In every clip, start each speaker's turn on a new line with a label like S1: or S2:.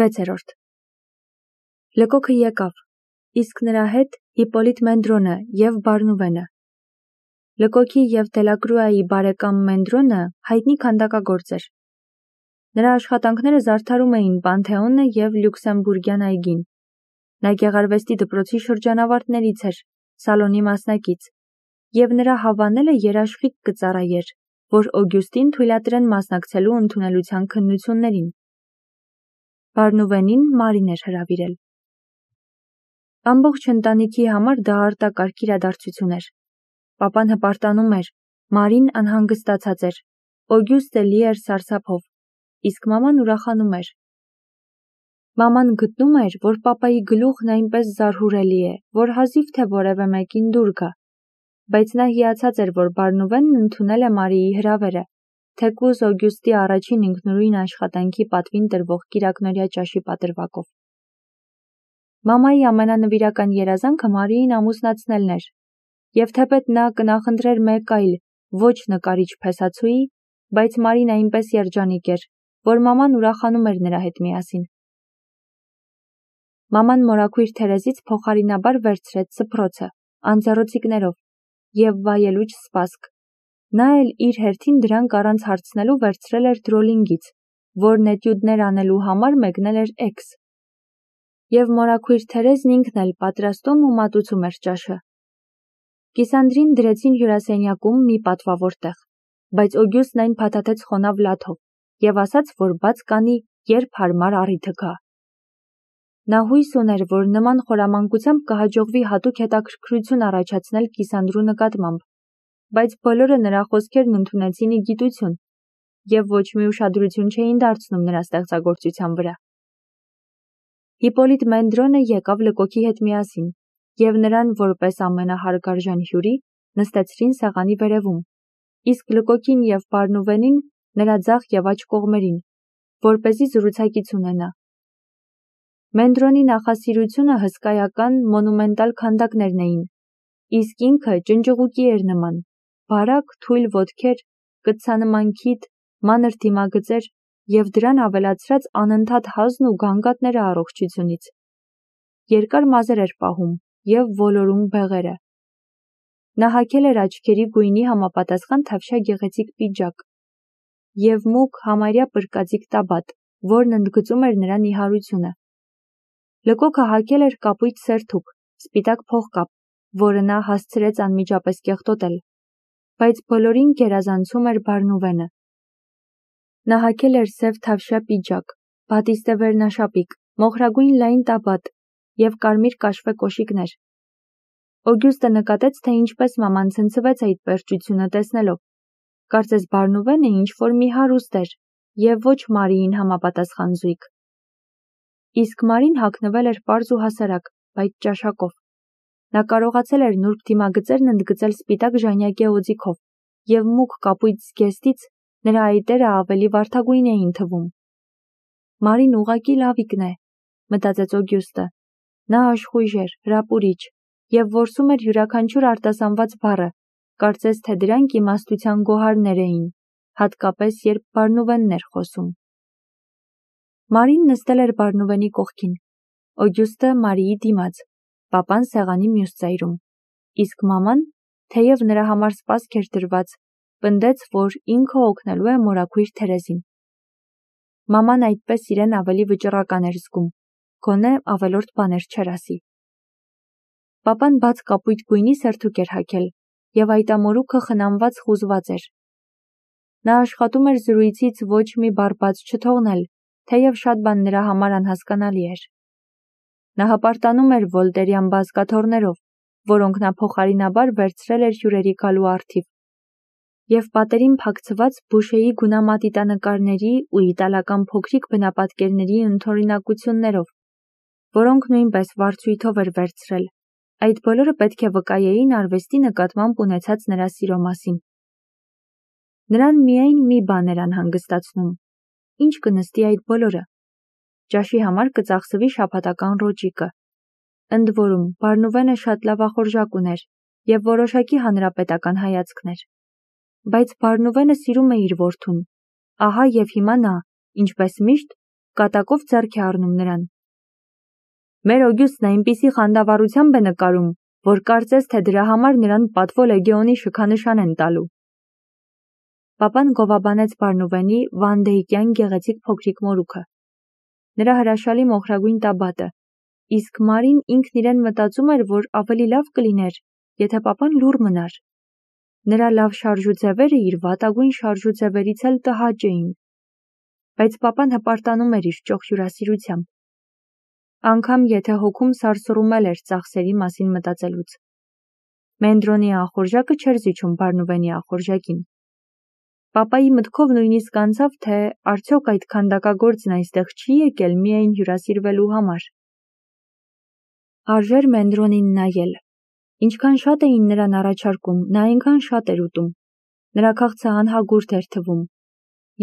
S1: 6. Լկոքը եկավ, իսկ նրա հետ Հիպպոլիտ Մենդրոնը և Բարնուվենը։ Լկոքի և Դելակրուայի բարեկամ Մենդրոնը հայտնի քանդակագործ էր։ Նրա աշխատանքները զարդարում էին Պանթեոնը և Լյուքսեմբուրգյան այգին։ Նա գեղարվեստի դպրոցի շրջանավարտներից էր, Սալոնի մասնակից, և նրա հավանելը երաշխիք կծառայեր, որ Օգյուստին թույլատրեն մասնակցելու ընդունելության քննություններին։ Բարնուվենին Մարին էր հրավիրել։ Ամբողջ ընտանիքի համար դա արտակարգ իրադարձություն էր։ Պապան հպարտանում էր, Մարին անհանգստացած էր, Օգյուստը լի էր սարսափով, իսկ մաման ուրախանում էր։ Մաման գտնում էր, որ պապայի գլուխն այնպես զարհուրելի է, որ հազիվ թե որևէ մեկին դուր գա, բայց նա հիացած էր, որ Բարնուվենն ընդունել է Մարիի հրավերը, թեկուզ Օգյուստի առաջին ինքնուրույն աշխատանքի պատվին տրվող կիրակնօրյա ճաշի պատրվակով։ Մամայի ամենանվիրական երազանքը Մարիին ամուսնացնելն էր, և թեպետ նա կնախընտրեր մեկ այլ, ոչ նկարիչ փեսացուի, բայց Մարին այնպես երջանիկ էր, որ մաման ուրախանում էր նրա հետ միասին։ Մաման մորաքույր Թերեզից փոխարինաբար վերցրեց սփռոցը, անձեռոցիկներով և վայելուչ սպասք։ Նա էլ իր հերթին դրանք առանց հարցնելու վերցրել էր Դրոլինգից, որն էտյուդներ անելու համար մեկնել էր Էքս։ Եվ մորաքույր Թերեզն ինքն էլ պատրաստում ու մատուցում էր ճաշը։ Կիսանդրին դրեցին հյուրասենյակում մի պատվավոր տեղ, բայց Օգյուստն այն փաթաթեց խոնավ լաթով և ասաց, որ բաց կանի, երբ հարմար առիթը գա։ Նա հույս ուներ, որ նման խորամանկությամբ կհաջողվի հատուկ հետաքրքրություն առաջացնել Կիսանդրու նկատմամբ, բայց բոլորը նրա խոսքերն ընդունեցին ի գիտություն և ոչ մի ուշադրություն չէին դարձնում նրա ստեղծագործության վրա։ Հիպպոլիտ Մենդրոնը եկավ Լկոքի հետ միասին, և նրան, որպես ամենահարգարժան հյուրի, նստեցրին սեղանի վերևում, իսկ Լկոքին և Բարնուվենին նրա ձախ և աջ կողմերին, որպեսզի զրուցակից ունենա։ Մենդրոնի նախասիրությունը հսկայական, մոնումենտալ քանդակներն էին, իսկ ինքը ջնջղուկի էր նման, բարակ, թույլ ոտքեր, կտցանման քիթ, մանր դիմագծեր և դրան ավելացրած անընդհատ հազն ու գանգատները առողջությունից։ Երկար մազեր էր պահում և ոլորում բեղերը։ Նա հագել էր աչքերի գույնի համապատասխան թավշյա գեղեցիկ պիջակ և մուգ համարյա պրկաձիգ տաբատ, որն ընդգծում էր նրա նիհարությունը։ Լկոքը հագել էր կապույտ սերթուկ, սպիտակ փողկապ, որը նա հասցրեց անմիջապես կեղտոտել, բայց բոլորին գերազանցում էր Բարնուվենը։ Նա հագել էր սև թավշյա պիջակ, բատիստե վերնաշապիկ, մոխրագույն լայն տաբատ և կարմիր կաշվե կոշիկներ։ Օգյուստը նկատեց, թե ինչպես մաման ցնցվեց այդ պերճությունը տեսնելով։ Կարծես Բարնուվենը ինչ-որ մի հարուստ էր և ոչ Մարիին համապատասխան զույգ։ Իսկ Մարին հագնվել էր պարզ ու հասարակ, բայց ճաշակով։ Նա կարողացել էր նուրբ դիմագծերն ընդգծել սպիտակ ժանյակե օձիքով և մուգ կապույտ զգեստից նրա այտերը ավելի վարդագույն էին թվում։ Մարին ուղղակի լավիկն է, մտածեց Օգյուստը։ Նա աշխույժ էր, հրապուրիչ և որսում էր յուրաքանչյուր արտասանված բառը, կարծես թե դրանք իմաստության գոհարներ էին, հատկապես երբ Բարնուվենն էր խոսում։ Մարին նստել էր Բարնուվենի կողքին, Օգյուստը Մարիի դիմաց, պապան սեղանի մյուս ծայրում, իսկ մաման, թեև նրա համար սպասք էր դրված, պնդեց, որ ինքը օգնելու է մորաքույր Թերեզին։ Մաման այդպես իրեն ավելի վճռական էր զգում, գոնե ավելորդ բաներ չէր ասի։ Պապան բաց կապույտ գույնի սերթուկ էր հագել և այտամորուքը խնամված խուզված էր։ Նա աշխատում էր զրույցից ոչ մի բառ բաց չթողնել, թեև շատ բան նրա համար անհասկանալի էր։ Նա հպարտանում էր վոլտերյան բազկաթոռներով, որոնք նա փոխարինաբար վերցրել էր հյուրերի գալու առթիվ, և պատերին փակցված Բուշեի գունամատիտանկարների ու իտալական փոքրիկ բնապատկերների ընդօրինակություններով, որոնք նույնպես վարձույթով էր վերցրել։ Այդ բոլորը պետք է վկայեին արվեստի նկատմամբ ունեցած նրա սիրո մասին։ Նրան միայն մի բան էր անհանգստացնում. ինչ կնստի այդ բոլորը։ Ճաշի համար կծախսվի շաբաթական ռոճիկը։ Ընդ որում, Բարնուվենը շատ լավախորժակ ուներ և որոշակի հանրապետական հայացքներ։ Բայց Բարնուվենը սիրում է իր որդուն։ Ահա և հիմա նա, ինչպես միշտ, կատակով ձեռք է առնում նրան։ Մեր Օգյուստն այնպիսի խանդավառությամբ է նկարում, որ կարծես թե դրա համար նրան պատվո լեգեոնի շքանշան են տալու։ Պապան գովաբանեց Բարնուվենի վանդեիկյան գեղեցիկ փոքրիկ մորուքը, նրա հրաշալի մոխրագույն տաբատը, իսկ Մարին ինքն իրեն մտածում էր, որ ավելի լավ կլիներ, եթե պապան լուռ մնար։ Նրա լավ շարժուձևերը իր վատագույն շարժուձևերից էլ տհաճ էին, բայց պապան հպարտանում էր իր ճոխ հյուրասիրությամբ, անգամ եթե հոգում սարսռում էր ծախսերի մասին մտածելուց։ Մենդրոնի ախորժակը չէր զիջում Բարնուվենի ախորժակին։ Պապայի մտքով նույնիսկ անցավ, թե արդյոք այդ քանդակագործն այստեղ չի եկել միայն հյուրասիրվելու համար։ Արժեր Մենդրոնին նայել։ Ինչքան շատ էին նրան առաջարկում, նա այնքան շատ էր ուտում։ Նրա քաղցը անհագուրդ էր թվում։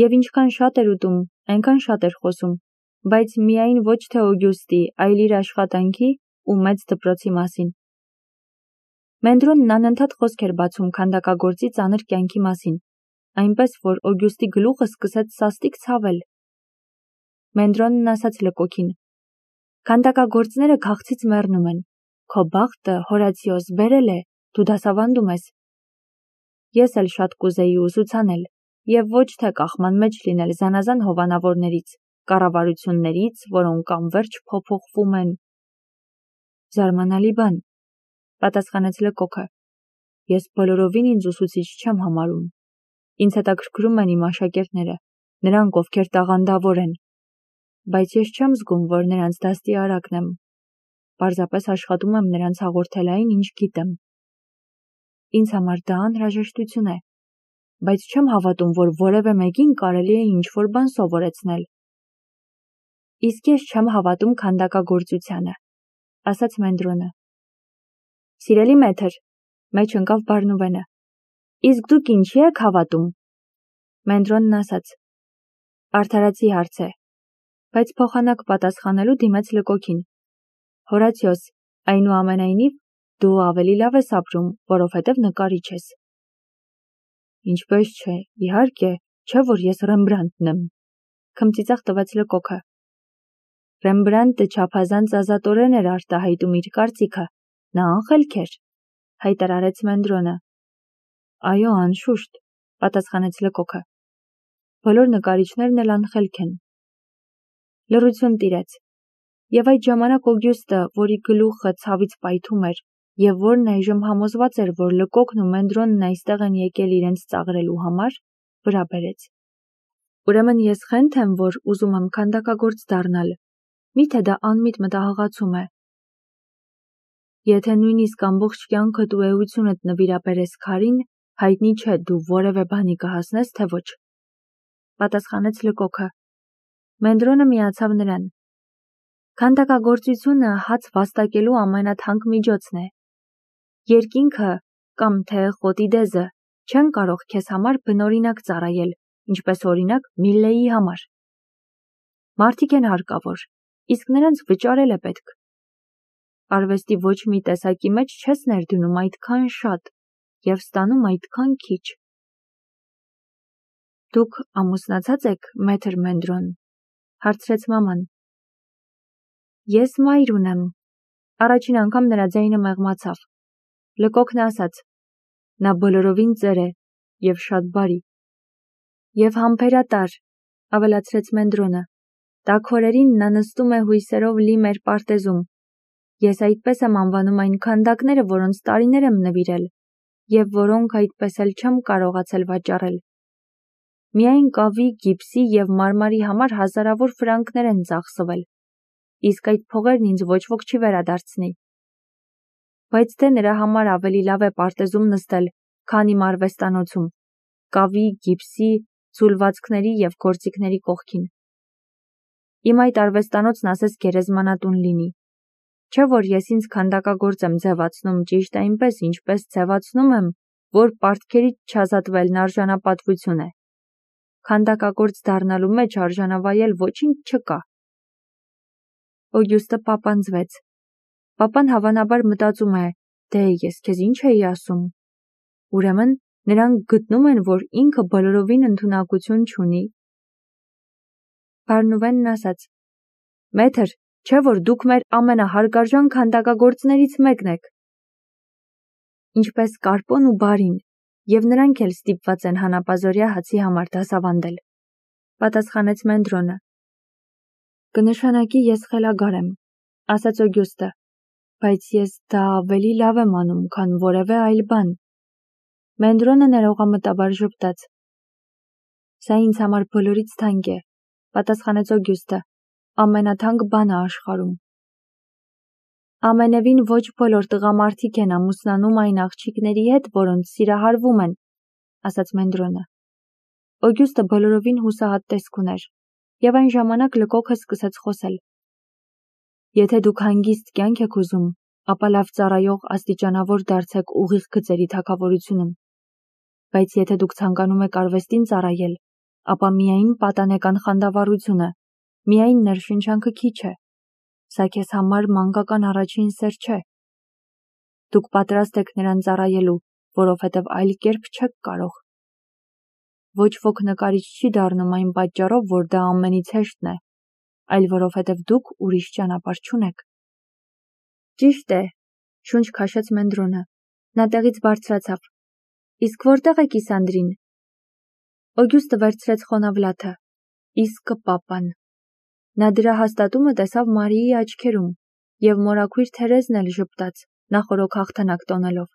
S1: Եվ ինչքան շատ էր ուտում, այնքան շատ էր խոսում, բայց միայն ոչ թե Օգյուստի, այլ իր աշխատանքի ու մեծ դպրոցի մասին։ Մենդրոնն անընդհատ խոսք էր բացում քանդակագործի ծանր կյանքի մասին, այնպես որ Օգյուստի գլուխը սկսեց սաստիկ ցավել։ Մենդրոնն ասաց Լկոկին. «Քանդակագործները քաղցից մեռնում են։ Քո բախտը, Հորացիոս, բերել է, դու դասավանդում ես»։ Ես էլ շատ կուզեի ուսուցանել, եւ ոչ թե կախման մեջ լինել զանազան հովանավորներից, կառավարություններից, որոնք անվերջ փոփոխվում են։ Զարմանալի բան, պատասխանեց Լկոկը։ Ես բոլորովին ինձ ուսուցիչ չեմ համարում։ Ինձ հետաքրքրում են իմ աշակերտները, նրանք, ովքեր տաղանդավոր են, բայց ես չեմ զգում, որ նրանց դաստիարակն եմ։ Պարզապես աշխատում եմ նրանց հաղորդել այն, ինչ գիտեմ։ Ինձ համար դա անհրաժեշտություն է, բայց չեմ հավատում, որ որևէ մեկին կարելի է ինչ-որ բան սովորեցնել։ Իսկ ես չեմ հավատում քանդակագործությանը, ասաց Մենդրոնը։ Սիրելի մեթր, մեջ ընկավ Բարնուվենը։ Իսկ դուք ինչի եք հավատում։ Մենդրոնն ասաց. Արդարացի հարց է, բայց փոխանակ պատասխանելու դիմեց Լկոկին. Հորացիոս, այնուամենայնիվ, դու ավելի լավ ես ապրում, որովհետև նկարիչ ես։ Ինչպես չէ, իհարկե, չէ որ ես Ռեմբրանտն եմ, քմծիծաղ տվեց Լկոկը։ Ռեմբրանտը չափազանց ազատորեն էր արտահայտում իր կարծիքը, նա անխելք էր, հայտարարեց Մենդրոնը։ Այո, անշուշտ, պատասխանեց Լկոկը։ Բոլոր նկարիչներն էլ անխելք են։ Լռություն տիրեց, եւ այդ ժամանակ Օգյուստը, որի գլուխը ցավից պայթում էր, եւ որն այժմ համոզված էր, որ Լկոկն ու Մենդրոնն այստեղ են եկել իրենց ծաղրելու համար, վրա բերեց։ Ուրեմն ես խենթ եմ, որ ուզում եմ քանդակագործ դառնալ, միթե դա անմիտ մտահղացում է։ Եթե նույնիսկ ամբողջ կյանքդ ու էությունդ նվիրաբերես քարին, հայտնի չէ դու որևէ բանի կհասնես, թե ոչ, պատասխանեց Լկոկը։ Մենդրոնը միացավ նրան։ Քանդակագործությունը հաց վաստակելու ամենաթանկ միջոցն է։ Երկինքը կամ թե խոտի դեզը չեն կարող քեզ համար բնօրինակ ծառայել, ինչպես օրինակ Միլլեի համար։ Մարդիկ են հարկավոր, իսկ նրանց վճարել է պետք։ Արվեստի ոչ մի տեսակի մեջ չես ներդնում այդքան շատ եւ ստանում այդքան քիչ։ Դուք ամուսնացած եք, մեթր Մենդրոն, հարցրեց մաման։ Ես մայր ունեմ։ Առաջին անգամ նրա ձայնը մեղմացավ։ Լկոկն ասաց. Նա բոլորովին ծեր է եւ շատ բարի։ Եվ համբերատար, ավելացրեց Մենդրոնը։ Տաք օրերին նա նստում է հույսերով լի մեր պարտեզում։ Ես այդպես եմ անվանում այն քանդակները, որոնց տարիներ եմ նվիրել, եւ որոնք այդպես էլ չեմ կարողացել վաճառել։ Միայն կավի, գիպսի եւ մարմարի համար հազարավոր ֆրանկներ են ծախսվել, իսկ այդ փողերն ինձ ոչ ոք չի վերադարձնի։ Բայց թե նրա համար ավելի լավ է պարտեզում նստել, քան իմ արվեստանոցում, կավի, գիպսի, ձուլվածքների եւ գործիքների կողքին։ Իմ այդ արվեստանոցն ասես գերեզմանատուն լինի։ Չէ որ ես ինձ քանդակագործ եմ ձևացնում ճիշտ այնպես, ինչպես ձևացնում եմ, որ պարտքերից չազատվելն արժանապատվություն է։ Քանդակագործ դառնալու մեջ արժանավայել ոչինչ չկա։ Օգյուստը պապանձվեց։ Պապան հավանաբար մտածում է, դե ես քեզ ինչ էի ասում։ Ուրեմն նրանք գտնում են, որ ինքը բոլորովին ընդունակություն չունի։ Բարնուվենն ասաց. Մեթր, չէ որ դուք մեր ամենահարգարժան քանդակագործներից մեկն եք։ Ինչպես Կարպոն ու Բարին, եւ նրանք էլ ստիպված են հանապազօրյա հացի համար դասավանդել, պատասխանեց Մենդրոնը։ Կնշանակի ես խելագար եմ, ասաց Օգյուստը, բայց ես դա ավելի լավ եմ անում, քան որևէ այլ բան։ Մենդրոնը ներողամտաբար ժպտաց։ Սա ինձ համար բոլորից թանկ է, պատասխանեց Օգյուստը, ամենաթանկ բանը աշխարհում։ Ամենևին ոչ բոլոր տղամարդիկ են ամուսնանում այն աղջիկների հետ, որոնց սիրահարվում են, ասաց Մենդրոնը։ Օգյուստը բոլորովին հուսահատ տեսք ուներ, եւ այն ժամանակ լկոքը սկսեց խոսել։ Եթե դուք հանգիստ կյանք եք ուզում, ապա լավ ծառայող աստիճանավոր դարձեք ուղիղ գծերի թագավորությունում։ Բայց եթե դուք ցանկանում եք արվեստին ծառայել, ապա միայն պատանեկան խանդավառությունը, միայն ներշնչանքը քիչ է։ Սա քեզ համար մանկական առաջին սեր չէ։ Դուք պատրաստ եք նրան ծառայելու, որովհետև այլ կերպ չեք կարող։ Ոչ ոք նկարիչ չի դառնում այն պատճառով, որ դա ամենից հեշտն է, այլ որովհետև դուք ուրիշ ճանապարհ չունեք։ Ճիշտ է, շունչ քաշեց Մենդրոնը։ Նա տեղից բարձրացավ։ Իսկ որտեղ է Կիսանդրին։ Օգյուստը վերցրեց խոնավլաթը։ Իսկ պապան։ Նա դրա հաստատումը տեսավ Մարիի աչքերում, եւ մորաքույր Թերեզն էլ ժպտաց, նախօրոք հաղթանակ տոնելով։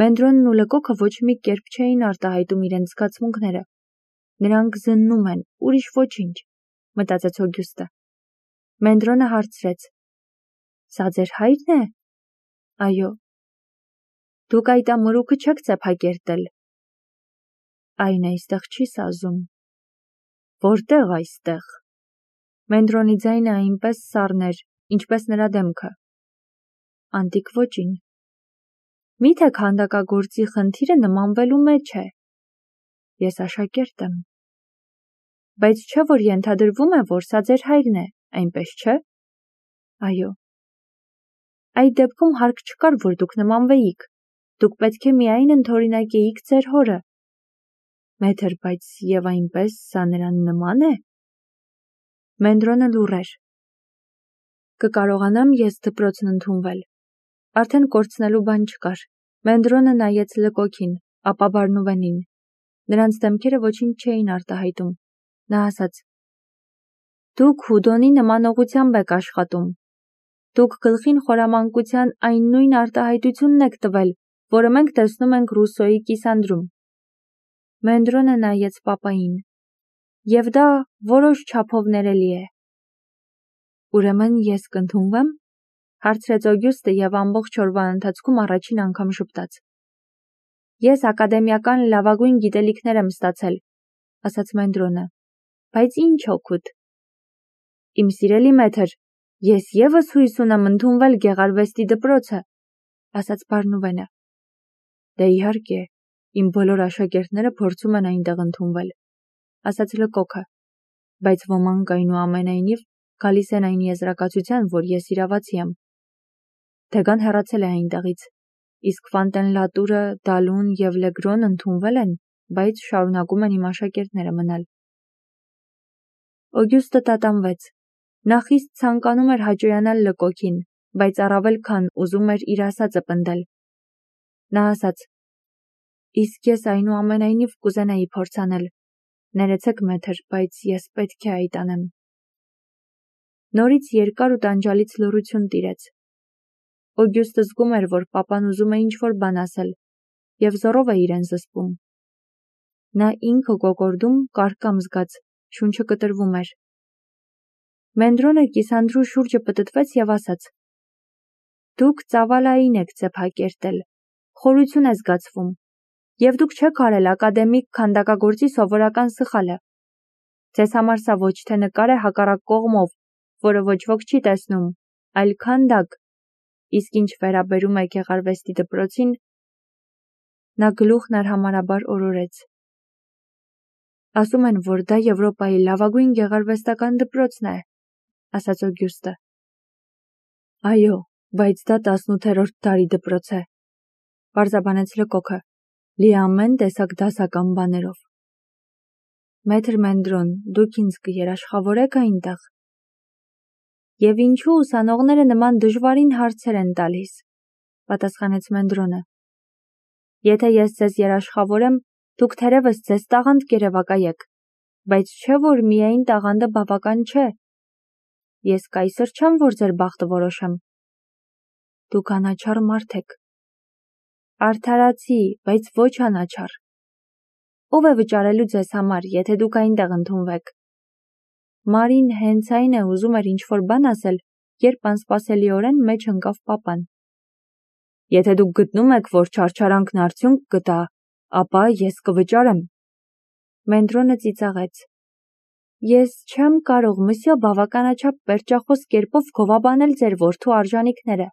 S1: Մենդրոնն ու լկոքը ոչ մի կերպ չէին արտահայտում իրենց զգացմունքները։ Նրանք զննում են, ուրիշ ոչինչ, մտածեց Օգյուստը։ Մենդրոնը հարցրեց. Սա ձեր հայրն է։ Այո։ Դուք այդ ամորուքը չեք ծեփակերտել։ Այն այստեղ չի սազում։ Որտեղ այստեղ։ Մենդրոնի ձայնը այնպես սառն էր, ինչպես նրա դեմքը։ Անտիկ ոճին։ Միթե քանդակագործի խնդիրը նմանվելու մեջ է։ Ես աշակերտ եմ։ Բայց չէ որ ենթադրվում է, որ սա ձեր հայրն է, այնպես չէ։ Այո։ Այդ դեպքում հարկ չկար, որ դուք նմանվեիք։ Դուք պետք է միայն ընդօրինակեիք ձեր հորը։ Մեթր, բայց եւ այնպես սա նրան նման է։ Մենդրոնը լուռ էր։ Կկարողանամ ես դպրոցն ընդունվել։ Արդեն կորցնելու բան չկար։ Մենդրոնը նայեց լկոքին, ապա Բարնուվենին։ Նրանց դեմքերը ոչինչ չէին արտահայտում։ Նա ասաց. Դուք Հուդոնի նմանողությամբ եք աշխատում։ Դուք գլխին խորամանկության այն նույն արտահայտությունն եք տվել, որը մենք տեսնում ենք Ռուսոյի Կիսանդրում։ Մենդրոնը նայեց պապային։ Եվ դա որոշ չափով ներելի է։ Ուրեմն ես կընդունվեմ, հարցրեց Օգյուստը եւ ամբողջ օրվա ընթացքում առաջին անգամ ժպտաց։ Ես ակադեմիական լավագույն գիտելիքներ եմ ստացել, ասաց Մենդրոնը, բայց ինչ օգուտ։ Իմ սիրելի մեթր, ես եւս հույս ունեմ ընդունվել գեղարվեստի դպրոցը, ասաց Բարնուվենը։ Դե իհարկե, իմ բոլոր աշակերտները փորձում են այնտեղ ընդունվել, ասաց լկոքը, բայց ոմանք այնուամենայնիվ գալիս են այն եզրակացության, որ ես իրավացի եմ։ Դեգան հեռացել է այնտեղից, իսկ Ֆանտենլատուրը, Դալուն եւ Լեգրոն ընդունվել են, բայց շարունակում են իմ աշակերտները մնալ։ Օգյուստը տատանվեց։ Նա խիստ ցանկանում էր հաճոյանալ լկոքին, բայց առավել քան ուզում էր իր ասածը պնդել։ Նա ասաց. Իսկ ես այնուամենայնիվ կուզենայի փորձանել։ Ներեցեք մեթր, բայց ես պետք է այդ անեմ։ Նորից երկար ու տանջալից լռություն տիրեց։ Օգյուստը զգում էր, որ պապան ուզում է ինչ-որ բան ասել, եւ զոռով է իրեն զսպում։ Նա ինքը կոկորդում, կարկամ զգաց, շունչը կտրվում էր։ Մենդրոնը Կիսանդրու շուրջը պտտվեց եւ ասաց. Դուք ծավալային եք ծեփակերտել, խորություն է զգացվում, եւ դուք չեք արել ակադեմիկ քանդակագործի սովորական սխալը։ Ձեզ համար սա ոչ թե նկար է հակառակ կողմով, որը ոչ ոք չի տեսնում, այլ քանդակ, իսկ ինչ վերաբերում է գեղարվեստի դպրոցին, նա գլուխն արհամարհաբար օրորեց։ Ասում են, որ դա Եվրոպայի լավագույն գեղարվեստական դպրոցն է, ասաց Օգյուստը։ Այո, բայց դա 18-րդ դարի դպրոց է, պարզաբանեց լկոքը, լի ամեն տեսակ դասական բաներով։ Մետր Մենդրոն, դուք ինձ կերաշխավորեք այնտեղ։ Եվ ինչու ուսանողները նման դժվարին հարցեր են տալիս, պատասխանեց Մենդրոնը։ Եթե ես ձեզ երաշխավորեմ, դուք թերևս ձեզ տաղանդ կերևակայեք, բայց չէ որ միայն տաղանդը բավական չէ։ Ես կայսր չեմ, որ ձեր բախտը որոշեմ։ Դուք անաչառ մարդ եք։ Արդարացի, բայց ոչ անաչառ։ Ով է վճարելու ձեզ համար, եթե դուք այնտեղ ընդունվեք։ Մարին հենց այն է ուզում էր ինչ-որ բան ասել, երբ անսպասելիորեն մեջ ընկավ պապան։ Եթե դուք գտնում եք, որ չարչարանքն արդյունք կտա, ապա ես կվճարեմ։ Մենդրոնը ծիծաղեց։ Ես չեմ կարող, մսյո, բավականաչափ պերճախոս կերպով գովաբանել ձեր որդու արժանիքները,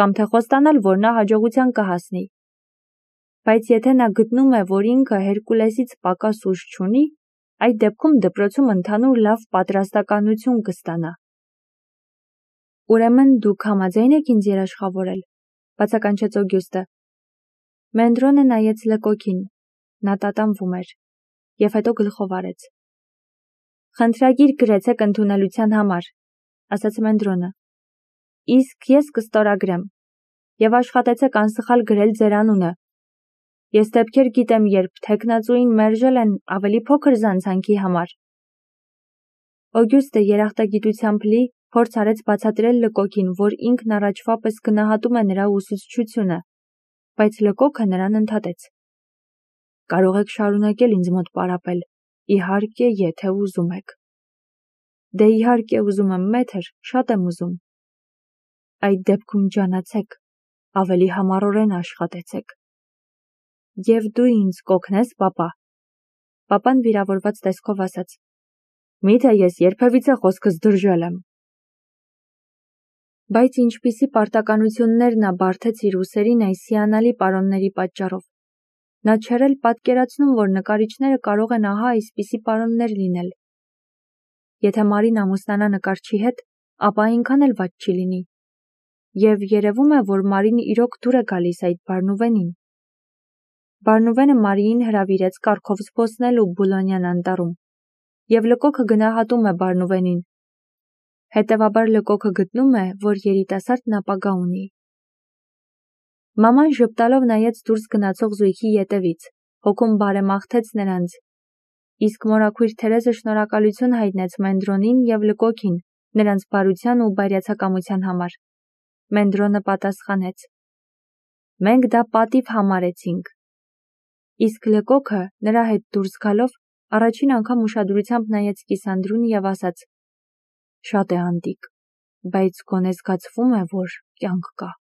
S1: կամ թե խոստանալ, որ նա հաջողության կհասնի։ Բայց եթե նա գտնում է, որ ինքը Հերկուլեսից պակաս ուժ չունի, այդ դեպքում դպրոցում ընդհանուր լավ պատրաստականություն կստանա։ Ուրեմն դուք համաձայն եք ինձ երաշխավորել, բացականչեց Օգյուստը։ Մենդրոնը նայեց Լեկոկին, նա տատանվում էր, և հետո գլխով արեց։ Խնդրագիր գրեցեք ընդունելության համար, ասաց Մենդրոնը։ Իսկ ես կստորագրեմ, և աշխատեցեք անսխալ գրել ձեր անունը։ Ես դեպքեր գիտեմ, երբ թեկնածուին մերժել են ավելի փոքր զանցանքի համար։ Օգյուստը երախտագիտությամբ լի փորձ արեց բացատրել Լկոկին, որ ինքն առաջվա պես գնահատում է նրա ուսուցչությունը, բայց Լկոկը նրան ընդհատեց։ Կարող եք շարունակել ինձ մոտ պարապել, իհարկե, եթե ուզում եք։ Դե իհարկե ուզում եմ, մետր, շատ եմ ուզում։ Այդ դեպքում ջանացեք, ավելի համառորեն աշխատեցեք։ Եվ դու ինձ կօգնես, պապա։ Պապան վիրավորված տեսքով ասաց. Միթե ես երբևիցե խոսքս դրժել եմ։ Բայց ինչպիսի պարտականություններ նա բարդեց իր ուսերին այս հիանալի պարոնների պատճառով։ Նա չէր էլ պատկերացնում, որ նկարիչները կարող են ահա այսպիսի պարոններ լինել։ Եթե Մարին ամուսնանա նկարչի հետ, ապա այնքան էլ վատ չի լինի։ Եվ երևում է, որ Մարին իրոք դուր է գալիս այդ Բարնուվենին։ Բարնուվենը Մարիին հրավիրեց կառքով զբոսնելու Բուլոնյան անտառում, և Լկոկը գնահատում է Բարնուվենին։ Հետևաբար Լկոկը գտնում է, որ երիտասարդն ապագա ունի։ Մաման ժպտալով նայեց դուրս գնացող զույգի ետևից, հոգում բարեմաղթեց նրանց, իսկ մորաքույր Թերեզը շնորհակալություն հայտնեց Մենդրոնին և Լկոկին նրանց բարության ու բարյացակամության համար։ Մենդրոնը պատասխանեց. Մենք դա պատիվ համարեցինք։ Իսկ Լկոկը նրա հետ դուրս գալով առաջին անգամ ուշադրությամբ նայեց կիսանդրուն և ասաց. Շատ է անտիկ, բայց գոնե զգացվում է, որ կյանք կա։